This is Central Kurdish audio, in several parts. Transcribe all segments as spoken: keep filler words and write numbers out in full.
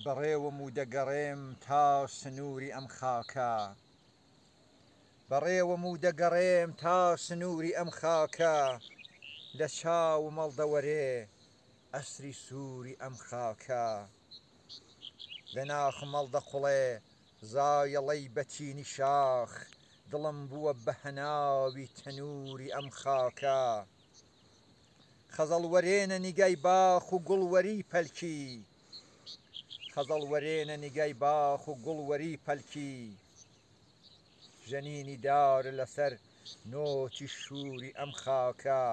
بەڕێوەم و دەگەڕێم تا سنووری ئەم خاکە. بەڕێوەم و دەگەڕێم تا سنووری ئەم خاکە. لە چاوم هەڵدەوەرێ ئەسری سووری ئەم خاکە. لە ناخم هەڵدەقوڵێ زایەڵەی بەتینی شاخ. دڵم بووە بە هەناوی تەنووری ئەم خاکە. خەزەڵوەرێنە نیگای باخ و گوڵوەری پەلکی. خەزەڵوەرێنە نیگای باخ و گوڵوەری پەلکی. ژەنینی دار لەسەر نۆتی شووری ئەم خاکە.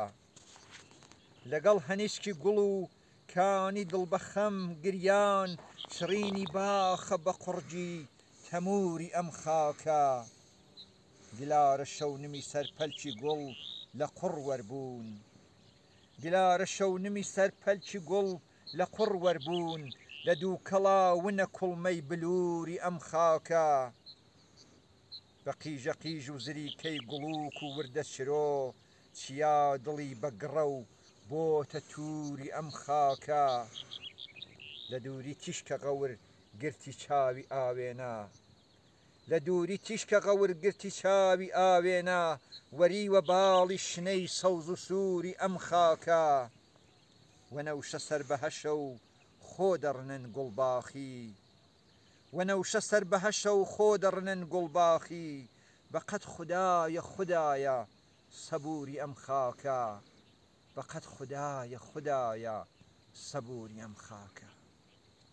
لەگەڵ هەنیسکی گوڵ و کانی دڵ بە خەم گریان چڕینی باخە بە قوڕگی تەمووری ئەم خاکە. گلارە شەونمی سەر پەلکی گوڵ لە قوڕ وەربوون. گلارە شەونمی سەر پەلکی گوڵ لە قوڕ وەربوون. لە دووکەڵا ونە کوڵمەی بلووری ئەم خاکە. بە قیژە قیژ و زریکەی گوڵووک و وردە چرۆ چیا دڵی بە گڕە و بۆتە تووری ئەم خاکە. لە دووری تیشکە غەور گرتی چاوی ئاوێنە. لە دووری تیشکە غەور گرتی چاوی ئاوێنە. وەریوە باڵی شنەی سەوز و سووری ئەم خاکە. وەنەوشە سەر بە هەشە و خۆ دەڕنن گوڵباخی. وەنەوشە سەر بە هەشە و خۆ دەڕنن گوڵباخی. بەقەد خودایە خودایە سەبووری ئەم خاکە. بەقەد خودایە خودایە سەبووری ئەم خاکە.